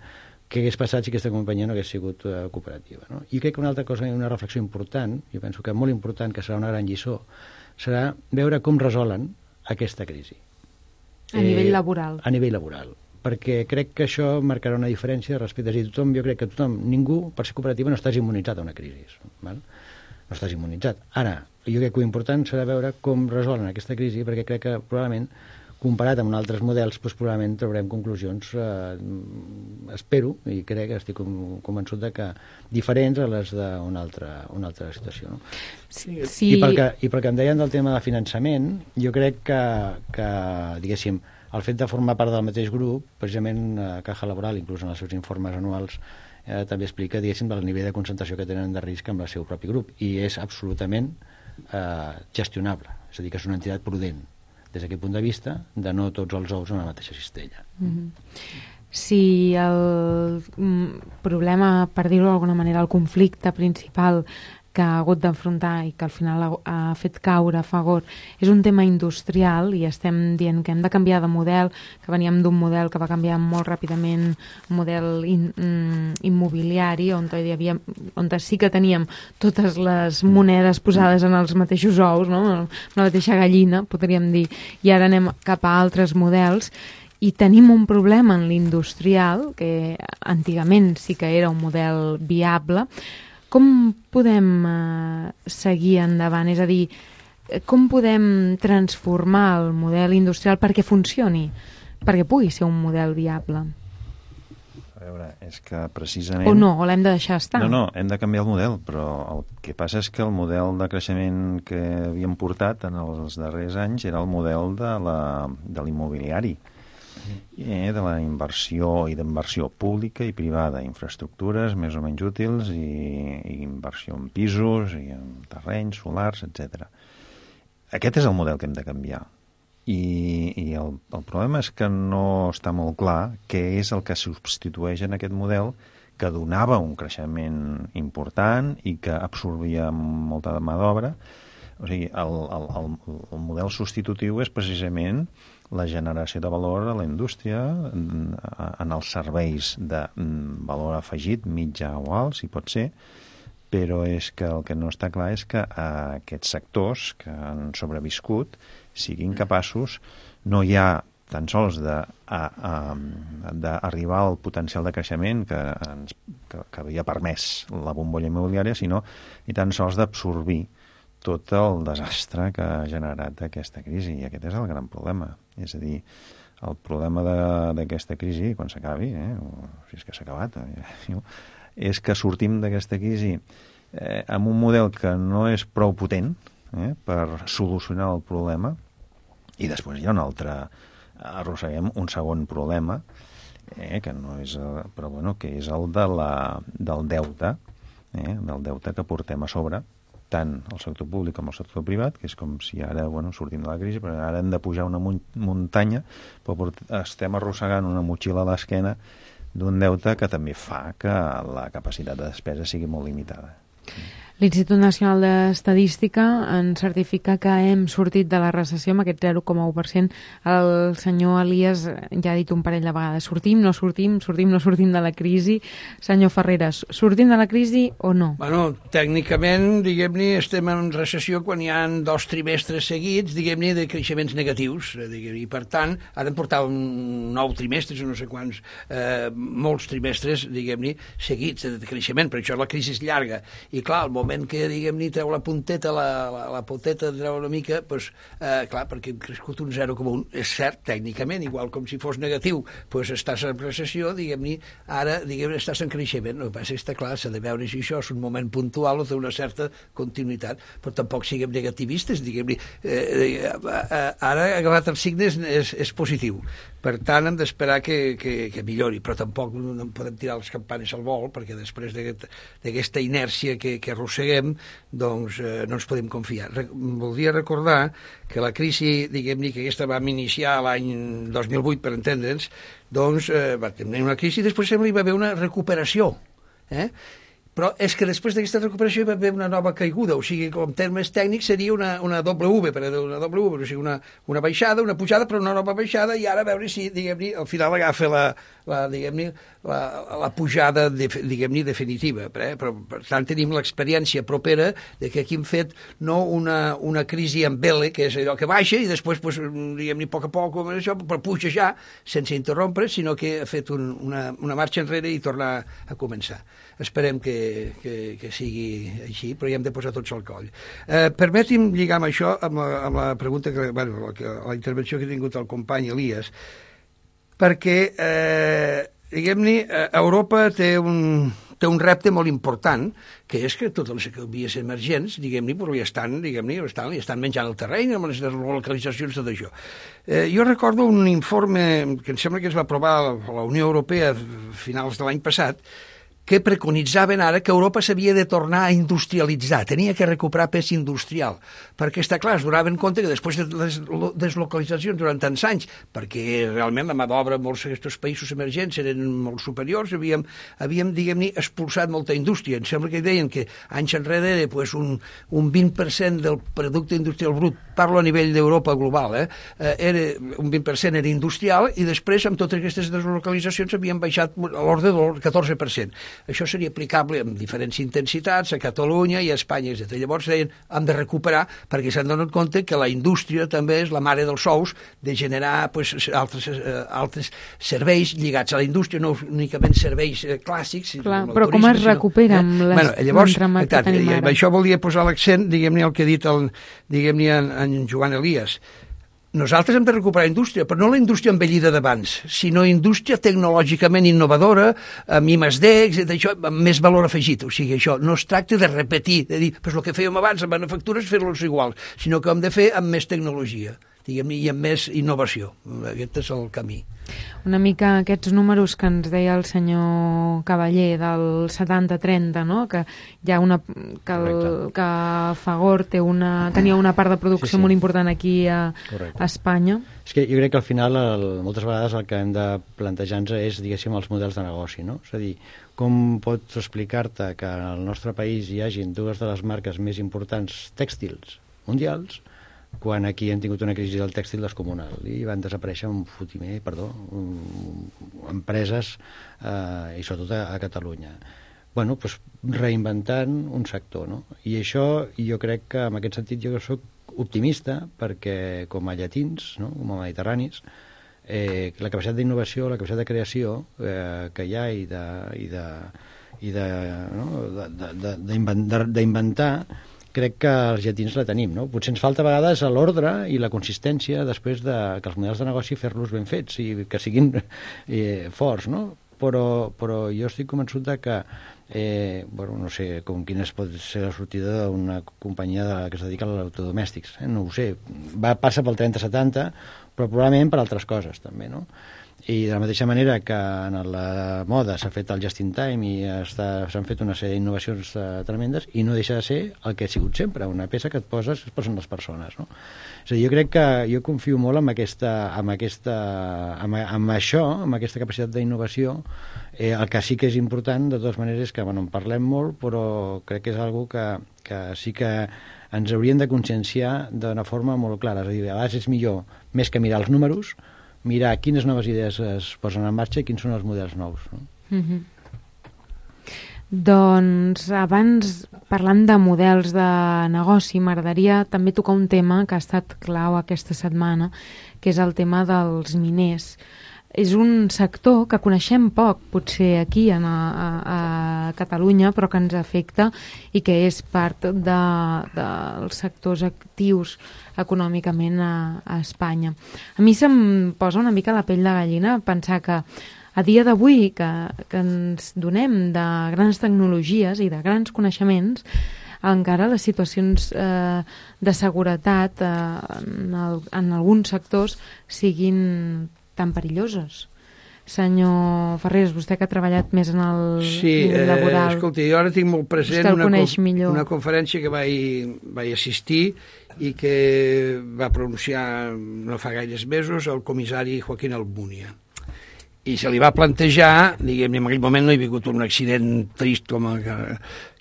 què hagués passat si aquesta companyia no hagués sigut cooperativa, no? I crec que una altra cosa, una reflexió important, jo penso que molt important, que serà una gran lliçó, serà veure com resolen aquesta crisi. A nivell laboral. A nivell laboral. Perquè crec que això marcarà una diferència respecte a tothom. Jo crec que ningú, per ser cooperativa, no estàs immunitzat a una crisi. Val? No estàs immunitzat. Ara, jo crec que l'important serà veure com resolen aquesta crisi, perquè crec que probablement, comparat amb altres models, probablement traurem conclusions, espero, i crec que estic convençut de que diferents a les d'una altra situació. No? Sí. I pel que em deien del tema de finançament, jo crec que diguéssim, el fet de formar part del mateix grup, precisament Caja Laboral, inclús en els seus informes anuals, també explica, diguéssim, el nivell de concentració que tenen de risc amb el seu propi grup, i és absolutament gestionable, és a dir, que és una entitat prudent des d'aquest punt de vista, de no tots els ous en la mateixa cistella. Si el problema, per dir-ho d'alguna manera, el conflicte principal que ha hagut d'enfrontar i que al final ha fet caure a Fagor és un tema industrial i estem dient que hem de canviar de model, que veníem d'un model que va canviar molt ràpidament, un model immobiliari on sí que teníem totes les monedes posades en els mateixos ous, no? La mateixa gallina, podríem dir, i ara anem cap a altres models i tenim un problema en l'industrial, que antigament sí que era un model viable. Com podem seguir endavant? És a dir, com podem transformar el model industrial perquè funcioni, perquè pugui ser un model viable? A veure, és que precisament... O no, o l'hem de deixar estar? No, hem de canviar el model, però el que passa és que el model de creixement que havíem portat en els darrers anys era el model de l'immobiliari, de la inversió i d'inversió pública i privada, infraestructures més o menys útils i inversió en pisos i en terrenys, solars, etc. Aquest és el model que hem de canviar. I el problema és que no està molt clar què és el que substitueix en aquest model que donava un creixement important i que absorbia molta mà d'obra. O sigui, el model substitutiu és precisament la generació de valor a la indústria en els serveis de valor afegit, mitjà o alt, si pot ser, però és que el que no està clar és que aquests sectors que han sobreviscut siguin capaços, no hi ha tan sols d'arribar al potencial de creixement que havia permès la bombolla immobiliària, sinó ni tan sols d'absorbir tot el desastre que ha generat aquesta crisi, i aquest és el gran problema. És a dir, el problema d'aquesta crisi, quan s'acabi, si és que s'ha acabat, és que sortim d'aquesta crisi amb un model que no és prou potent per solucionar el problema, i després hi ha un altre, arrosseguem un segon problema, que no és, però bueno, que és el del deute, del deute que portem a sobre, tant el sector públic com el sector privat, que és com si ara sortim de la crisi, però ara hem de pujar una muntanya, però estem arrossegant una motxilla a l'esquena d'un deute que també fa que la capacitat de despesa sigui molt limitada. L'Institut Nacional d'Estadística ens certifica que hem sortit de la recessió amb aquest 0,1%. El senyor Elias ja ha dit un parell de vegades, sortim, no sortim de la crisi. Senyor Ferreras, sortim de la crisi o no? Bueno, tècnicament, diguem-ne, estem en recessió quan hi ha 2 trimestres seguits, diguem-ne, de creixements negatius. I per tant, ara em portava 9 trimestres, no sé quants, molts trimestres, diguem-ne, seguits de creixement, per això la crisi és llarga. I clar, al moment que, diguem-ne, treu la punteta, la poteta treu una mica, doncs, clar, perquè hem crescut un 0,1. És cert, tècnicament, igual com si fos negatiu, doncs estàs en recessió, diguem-ne, ara, diguem-ne, estàs en creixement. El que passa és que, clar, s'ha de veure si això és un moment puntual o té una certa continuïtat, però tampoc siguem negativistes, diguem-ne. Ara, agafat els signes, és positiu. Per tant, hem d'esperar que millori, però tampoc no podem tirar les campanes al vol, perquè després d'aquesta inèrcia que arrosseguem, doncs no ens podem confiar. Voldria recordar que la crisi, diguem-ne, que aquesta vam iniciar l'any 2008, per entendre'ns, doncs va tenir una crisi i després sembla que hi va haver una recuperació. Però és que després d'aquesta recuperació hi va haver una nova caiguda, o sigui, com termes tècnics seria una doble V, o sigui, una baixada, una pujada, però una nova baixada, i ara a veure si, diguem-ne, al final agafa la pujada, diguem-ne, definitiva. Però, per tant, tenim l'experiència propera de que aquí hem fet no una crisi amb vela, que és allò que baixa, i després, diguem-ne, a poc a poc, però puja ja, sense interrompre, sinó que ha fet una marxa enrere i tornar a començar. Esperem que sigui així, però ja hem de posar tots al coll. Permeti'm lligar amb això, amb la pregunta, la intervenció que ha tingut el company Elias, perquè, diguem-ne, Europa té un té un repte molt important, que és que totes les economies emergents, diguem-ne, li estan menjant el terreny amb les deslocalitzacions, tot això. Jo recordo un informe que em sembla que es va aprovar a la Unió Europea a finals de l'any passat, que preconitzaven ara que Europa s'havia de tornar a industrialitzar, tenia que recuperar pes industrial, perquè està clar, es donaven compte que després de les deslocalitzacions durant tants anys, perquè realment la mà d'obra en molts d'aquests països emergents eren molt superiors, havíem diguem-ne, expulsat molta indústria. Em sembla que deien que anys enrere era un 20% del producte industrial brut, parlo a nivell d'Europa global, era un 20% era industrial, i després amb totes aquestes deslocalitzacions havien baixat a l'ordre del 14%. Això seria aplicable amb diferents intensitats a Catalunya i a Espanya, etc. Llavors deien, hem de recuperar, perquè s'han donat compte que la indústria també és la mare dels ous de generar altres serveis lligats a la indústria, no únicament serveis clàssics. Clar, però com es recupera amb l'entramat que tenim ara? Això volia posar l'accent, diguem-ne, el que ha dit en Joan Elias. Nosaltres hem de recuperar indústria, però no la indústria envellida d'abans, sinó indústria tecnològicament innovadora, amb I+D, això, amb més valor afegit. O sigui, això no es tracta de repetir, de dir, el que fèiem abans amb manufactures, fer-los iguals, sinó que hem de fer amb més tecnologia, diguem-ne, i amb més innovació. Aquest és el camí. Una mica aquests números que ens deia el senyor Cavaller del 70-30, no? Que hi ha que Fagor tenia una part de producció molt important aquí a Espanya. És que jo crec que al final moltes vegades el que hem de plantejar-nos és, diguéssim, els models de negoci, no? És a dir, com pots explicar-te que al nostre país hi hagin dues de les marques més importants tèxtils mundials quan aquí hem tingut una crisi del tèxtil descomunal i van desaparèixer empreses i sobretot a Catalunya. Bueno, doncs reinventant un sector, no? I això jo crec que en aquest sentit jo soc optimista perquè com a llatins, no? Com a mediterranis, la capacitat d'innovació, la capacitat de creació que hi ha d'inventar, crec que els llatins la tenim, no? Potser ens falta a vegades l'ordre i la consistència després de que els models de negoci fer-los ben fets i que siguin forts, no? Però jo estic convençut de que no sé quina pot ser la sortida d'una companyia que es dedica a l'autodomèstics, no ho sé, passa pel 30-70, però probablement per altres coses també, no? I de la mateixa manera que en la moda s'ha fet el just in time i s'han fet una sèrie d'innovacions tremendes i no deixa de ser el que ha sigut sempre, una peça que et poses, es posen les persones, no? És a dir, jo crec que jo confio molt amb això, amb aquesta capacitat d'innovació. El que sí que és important, de totes maneres, és que en parlem molt, però crec que és una cosa que sí que ens hauríem de conscienciar d'una forma molt clara. És a dir, a vegades és millor, més que mirar els números, mirar quines noves idees es posen en marxa i quins són els models nous, no? Doncs abans, parlant de models de negoci, m'agradaria també tocar un tema que ha estat clau aquesta setmana, que és el tema dels miners. És un sector que coneixem poc, potser aquí a Catalunya, però que ens afecta i que és part dels sectors actius econòmicament a Espanya. A mi se'm posa una mica la pell de gallina pensar que a dia d'avui que ens donem de grans tecnologies i de grans coneixements, encara les situacions de seguretat en alguns sectors siguin tan perilloses. Senyor Ferreres, vostè que ha treballat més en el nivell laboral... Sí, escolti, jo ara tinc molt present una conferència que vaig assistir i que va pronunciar no fa gaires mesos el comissari Joaquín Almunia. I se li va plantejar, diguem-ne, en aquell moment no hi ha hagut un accident trist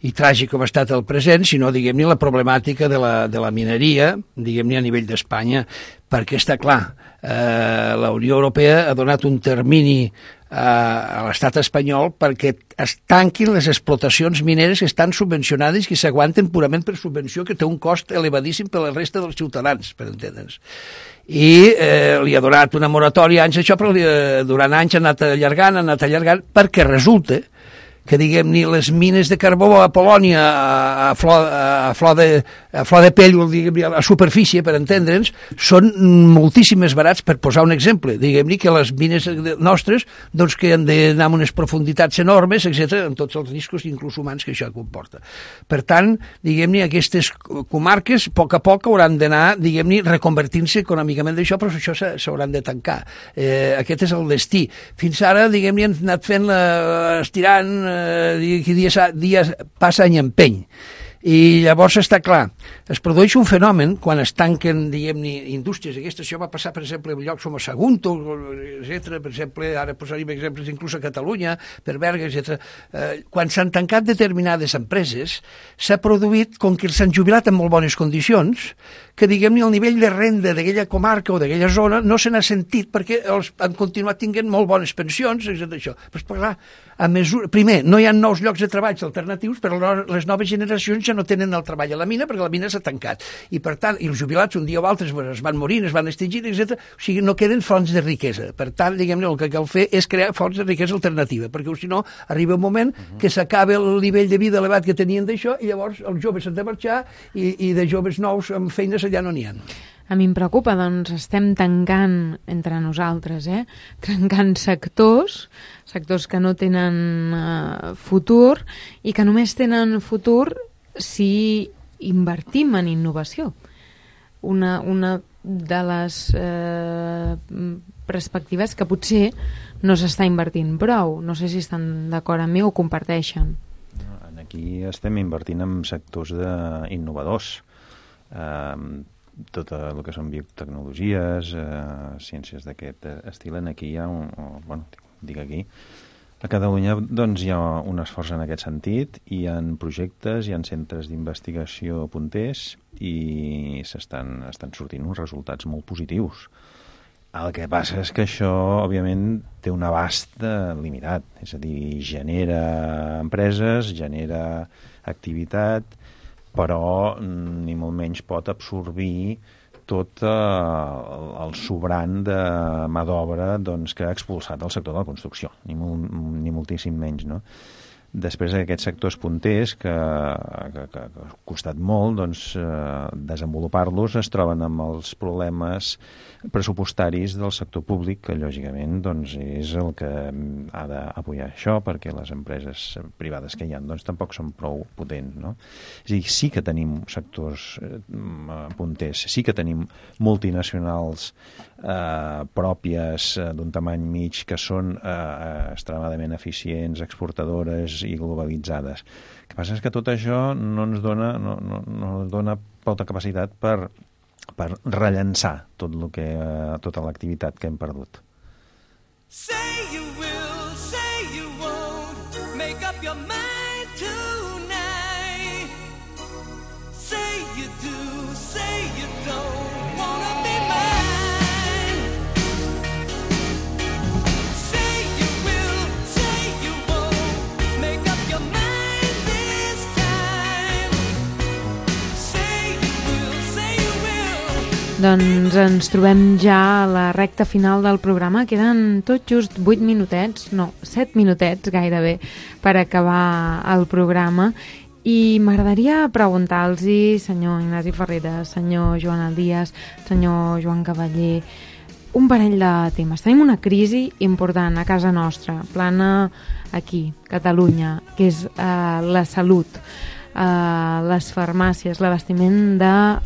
i tràgic com ha estat el present, sinó, diguem-ne, la problemàtica de la mineria, diguem-ne, a nivell d'Espanya, perquè està clar, la Unió Europea ha donat un termini a l'estat espanyol perquè es tanquin les explotacions mineres que estan subvencionades i que s'aguanten purament per subvenció, que té un cost elevadíssim per la resta dels ciutadans, per entendre'ns. I li ha donat una moratòria anys això, però durant anys ha anat allargant, perquè resulta que diguem-ne, les mines de carbó a Polònia, a flor de pell, diguem-ne, a superfície, per entendre'ns, són moltíssimes barats, per posar un exemple. Diguem-ne que les mines nostres, doncs, que han d'anar a unes profunditats enormes, etc., amb tots els riscos, inclús humans, que això comporta. Per tant, diguem-ne, aquestes comarques, a poc hauran d'anar, diguem-ne, reconvertint-se econòmicament d'això, però això s'hauran de tancar. Aquest és el destí. Fins ara, diguem-ne, han anat fent estirant, dia passa any empeny. I llavors està clar, es produeix un fenomen quan es tanquen, diguem-ne, indústries aquestes. Això va passar, per exemple, en llocs com a Sagunto, etc. Per exemple, ara posaríem exemples inclús a Catalunya, per Berga, etc. Quan s'han tancat determinades empreses, s'ha produït, com que s'han jubilat en molt bones condicions, que, diguem-ne, el nivell de renda d'aquella comarca o d'aquella zona no se n'ha sentit perquè han continuat tinguent molt bones pensions, etc. Això. Però, clar, primer, no hi ha nous llocs de treball alternatius, però les noves generacions ja no tenen el treball a la mina perquè la mina s'ha tancat. I, per tant, els jubilats un dia o altre es van morir, es van extingir, etc. O sigui, no queden fonts de riquesa. Per tant, diguem-ne, el que cal fer és crear fonts de riquesa alternativa, perquè si no, arriba un moment que s'acaba el nivell de vida elevat que tenien d'això i llavors els joves s'han de marxar i de joves nous amb feines allà no n'hi ha. A mi em preocupa, doncs estem tancant entre nosaltres, trencant sectors que no tenen futur i que només tenen futur si invertim en innovació. Una de les perspectives que potser no s'està invertint prou. No sé si estan d'acord amb mi o comparteixen. Aquí estem invertint en sectors innovadors. Tot el que són biotecnologies, ciències d'aquest estil, aquí hi ha a Catalunya doncs, hi ha un esforç en aquest sentit, hi ha projectes, hi ha centres d'investigació punters i estan sortint uns resultats molt positius. El que passa és que això, òbviament, té un abast limitat, és a dir, genera empreses, genera activitat, però ni molt menys pot absorbir tot el sobrant de mà d'obra que ha expulsat el sector de la construcció, ni moltíssim menys, no? Després d'aquests sectors punters que ha costat molt desenvolupar-los, es troben amb els problemes pressupostaris del sector públic, que lògicament és el que ha d'apoyar això, perquè les empreses privades que hi ha tampoc són prou potents, no? És a dir, sí que tenim sectors punters, sí que tenim multinacionals pròpies d'un tamany mig que són extremadament eficients, exportadores i globalitzades. El que passa és que tot això no ens dona prou capacitat per rellençar tota l'activitat que hem perdut. Say you will, say you won't, make up your mind tonight. Say you do, say you don't wanna be mine. Say you will, say you won't, make up your mind this time. Say you will, say you will. Doncs ens trobem ja a la recta final del programa. Queden tot just 8 minutets, no, 7 minutets gairebé, per acabar el programa. I m'agradaria preguntar-los, senyor Ignasi Ferrera, senyor Joan Aldías, senyor Joan Cavaller, un parell de temes. Tenim una crisi important a casa nostra, plana aquí, Catalunya, que és la salut, les farmàcies, l'abastiment de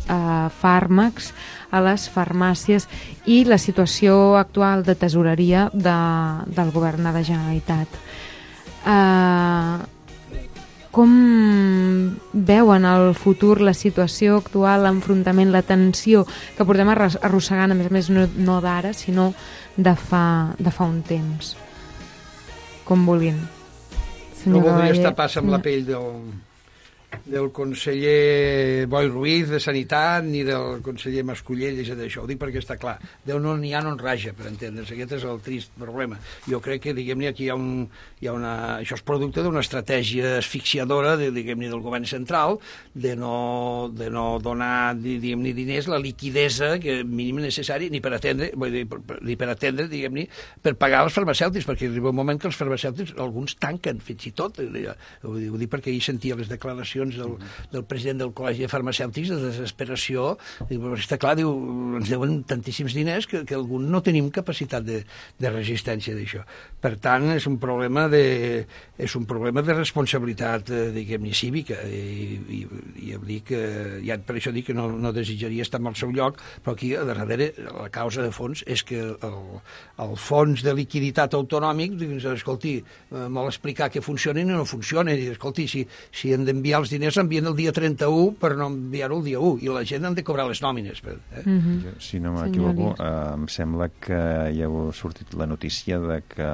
fàrmacs a les farmàcies i la situació actual de tesoreria del govern de la Generalitat. Com veuen el futur, la situació actual, l'enfrontament, la tensió que portem arrossegant, a més no d'ara, sinó de fa un temps? Com vulguin. No voldria estar pas amb la pell del conseller Boi Ruiz de Sanitat ni del conseller Mascullell i d'això. Ho dic perquè està clar. Déu no n'hi ha, no en raja, per entendre's. Aquest és el trist problema. Jo crec que, diguem-ne, aquí això és producte d'una estratègia asfixiadora, diguem-ne, del govern central, de no donar, diguem-ne, diners, la liquidesa que mínim necessari ni per atendre, diguem-ne, per pagar els farmacèutics, perquè arriba un moment que els farmacèutics, alguns tanquen, fins i tot. Ho dic perquè ahir sentia les declaracions del president del Col·legi de Farmacèutics de desesperació. Està clar, diu, ens deuen tantíssims diners que alguns no tenim capacitat de resistència d'això. Per tant, és un problema de responsabilitat, diguem-ne, cívica, i dic, per això dic que no desitjaria estar en el seu lloc, però aquí, a darrere, la causa de fons és que el fons de liquiditat autonòmic, escolti, vol explicar que funcionen i no funcionen, i escolti, si hem d'enviar els diners, envien el dia 31 per no enviar-ho el dia 1, i la gent han de cobrar les nòmines. Si no m'equivoco, em sembla que ja ha sortit la notícia de que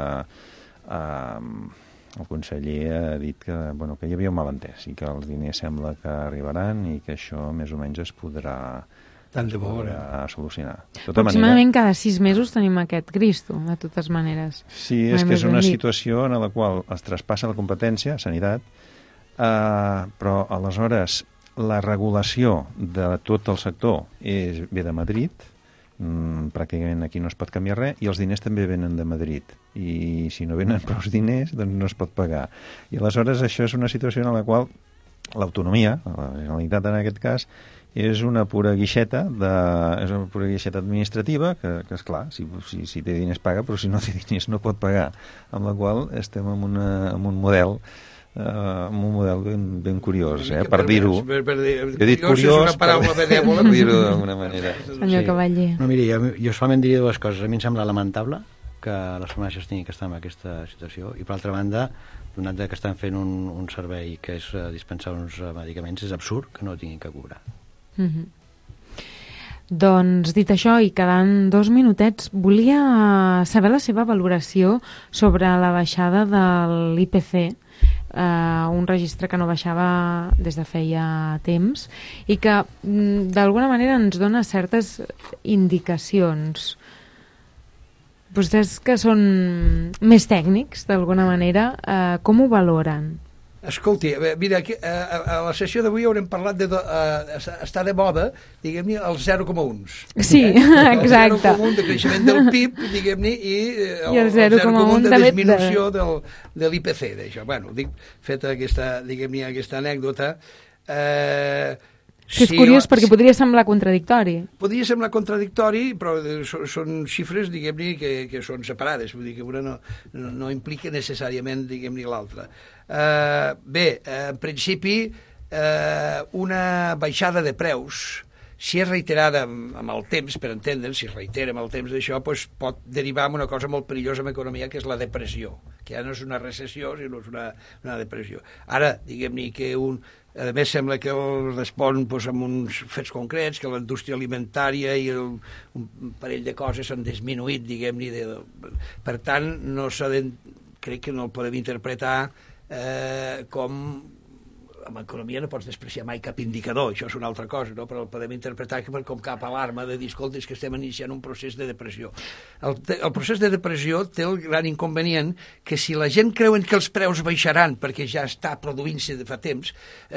el conseller ha dit que hi havia un malentès i que els diners sembla que arribaran i que això més o menys es podrà solucionar. Aproximadament cada 6 mesos tenim aquest Cristo, de totes maneres. Sí, és que és una situació en la qual es traspassa la competència, sanitat, però aleshores la regulació de tot el sector ve de Madrid, pràcticament aquí no es pot canviar res, i els diners també venen de Madrid, i si no venen prou diners doncs no es pot pagar, i aleshores això és una situació en la qual l'autonomia, la Generalitat en aquest cas, és una pura guixeta administrativa que esclar, si té diners paga, però si no té diners no pot pagar, amb la qual estem en un model ben curiós, per dir-ho. He dit curiós, per dir-ho d'alguna manera. Senyor Cavaller. No, miri, jo solament diria dues coses. A mi em sembla lamentable que les farmàcies tinguin que estar en aquesta situació, i per altra banda, donat que estan fent un servei que és dispensar uns medicaments, és absurd que no tinguin que cobrar. Doncs, dit això, i quedant 2 minutets, volia saber la seva valoració sobre la baixada de l'IPC, un registre que no baixava des de feia temps i que d'alguna manera ens dona certes indicacions. Vostès, que són més tècnics d'alguna manera, com ho valoren? Escolti, mira, a la sessió d'avui haurem parlat està de moda, diguem-ne, els 0,1. Sí, exacte. El 0,1 de creixement del PIB, diguem-ne, i el 0,1 de disminució de l'IPC, d'això. Bueno, feta aquesta anècdota... Que és curiós, perquè podria semblar contradictori. Podria semblar contradictori, però són xifres, diguem-ne, que són separades. Vull dir que una no implica necessàriament, diguem-ne, l'altra. Bé, en principi, una baixada de preus, si és reiterada amb el temps, per entendre'ns, si es reitera amb el temps d'això, doncs pot derivar en una cosa molt perillosa en economia, que és la depressió, que ja no és una recessió, sinó és una depressió. Ara, diguem-ne que a més, sembla que respon amb uns fets concrets, que la indústria alimentària i un parell de coses s'han disminuït, diguem-ne. Per tant, crec que no el podem interpretar com... En economia no pots despreciar mai cap indicador, això és una altra cosa, no? Però el podem interpretar com cap alarma de dir, escolta, és que estem iniciant un procés de depressió. El procés de depressió té el gran inconvenient que si la gent creuen que els preus baixaran perquè ja està produint-se de fa temps,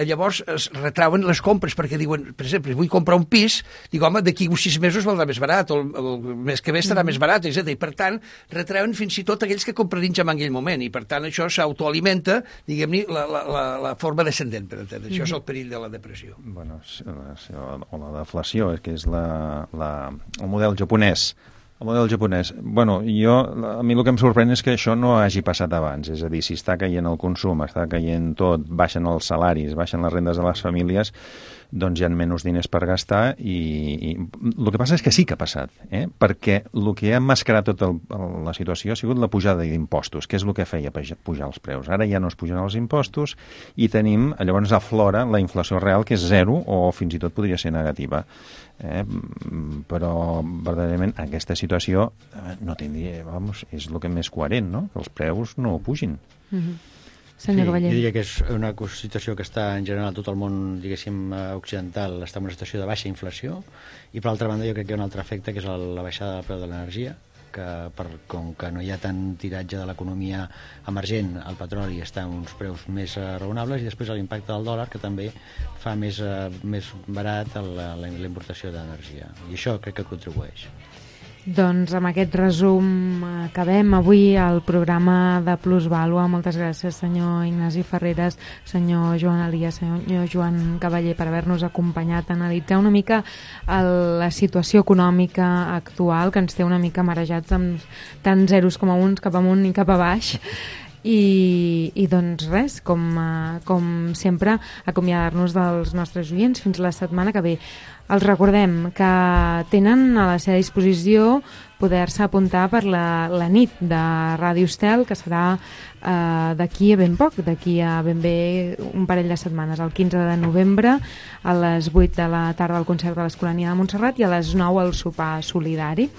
llavors es retrauen les compres, perquè diuen, per exemple, vull comprar un pis, dic, home, d'aquí uns 6 mesos valdrà més barat, o el mes que ve estarà més barat, etc. I per tant, retrauen fins i tot aquells que comprarien ja en aquell moment, i per tant això s'autoalimenta, diguem-ne, la forma descendent. Això és el perill de la depressió. Bueno, o la deflació, que és el model japonès. El model japonès. Bueno, a mi el que em sorprèn és que això no hagi passat abans. És a dir, si està caient el consum, està caient tot, baixen els salaris, baixen les rendes de les famílies, doncs hi ha menys diners per gastar i el que passa és que sí que ha passat, perquè el que ha emmascarat tota la situació ha sigut la pujada d'impostos, que és el que feia pujar els preus. Ara ja no es pugen els impostos i tenim, llavors aflora la inflació real, que és 0 o fins i tot podria ser negativa. Però verdaderament aquesta situació no tindria, és el que més coherent, no? Que els preus no pugin. senyor Cavaller. Jo diria que és una situació que està en general tot el món, diguéssim, occidental, està en una situació de baixa inflació, i per altra banda jo crec que hi ha un altre efecte, que és la baixada del preu de l'energia, que com que no hi ha tant tiratge de l'economia emergent, el petroli està en uns preus més raonables, i després l'impacte del dòlar, que també fa més barat la importació d'energia, i això crec que contribueix. Doncs amb aquest resum acabem avui el programa de Plusvàlua. Moltes gràcies, senyor Ignasi Ferreres, senyor Joan Elias, senyor Joan Cavaller, per haver-nos acompanyat a analitzar una mica la situació econòmica actual, que ens té una mica marejats amb tants zeros com a uns, cap amunt i cap a baix. I doncs res, com sempre, acomiadar-nos dels nostres oients fins la setmana que ve. Els recordem que tenen a la seva disposició poder-se apuntar per la nit de Ràdio Estel, que serà d'aquí a ben poc, d'aquí a ben bé un parell de setmanes, el 15 de novembre, a les 8 de la tarda al concert de l'Escolania de Montserrat i a les 9 al sopar solidari.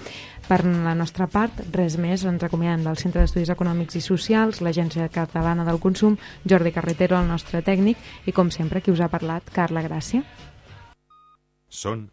Per la nostra part, res més, ens acomiadem del Centre d'Estudis Econòmics i Socials, l'Agència Catalana del Consum, Jordi Carretero, el nostre tècnic, i com sempre, qui us ha parlat, Carla Gràcia. Són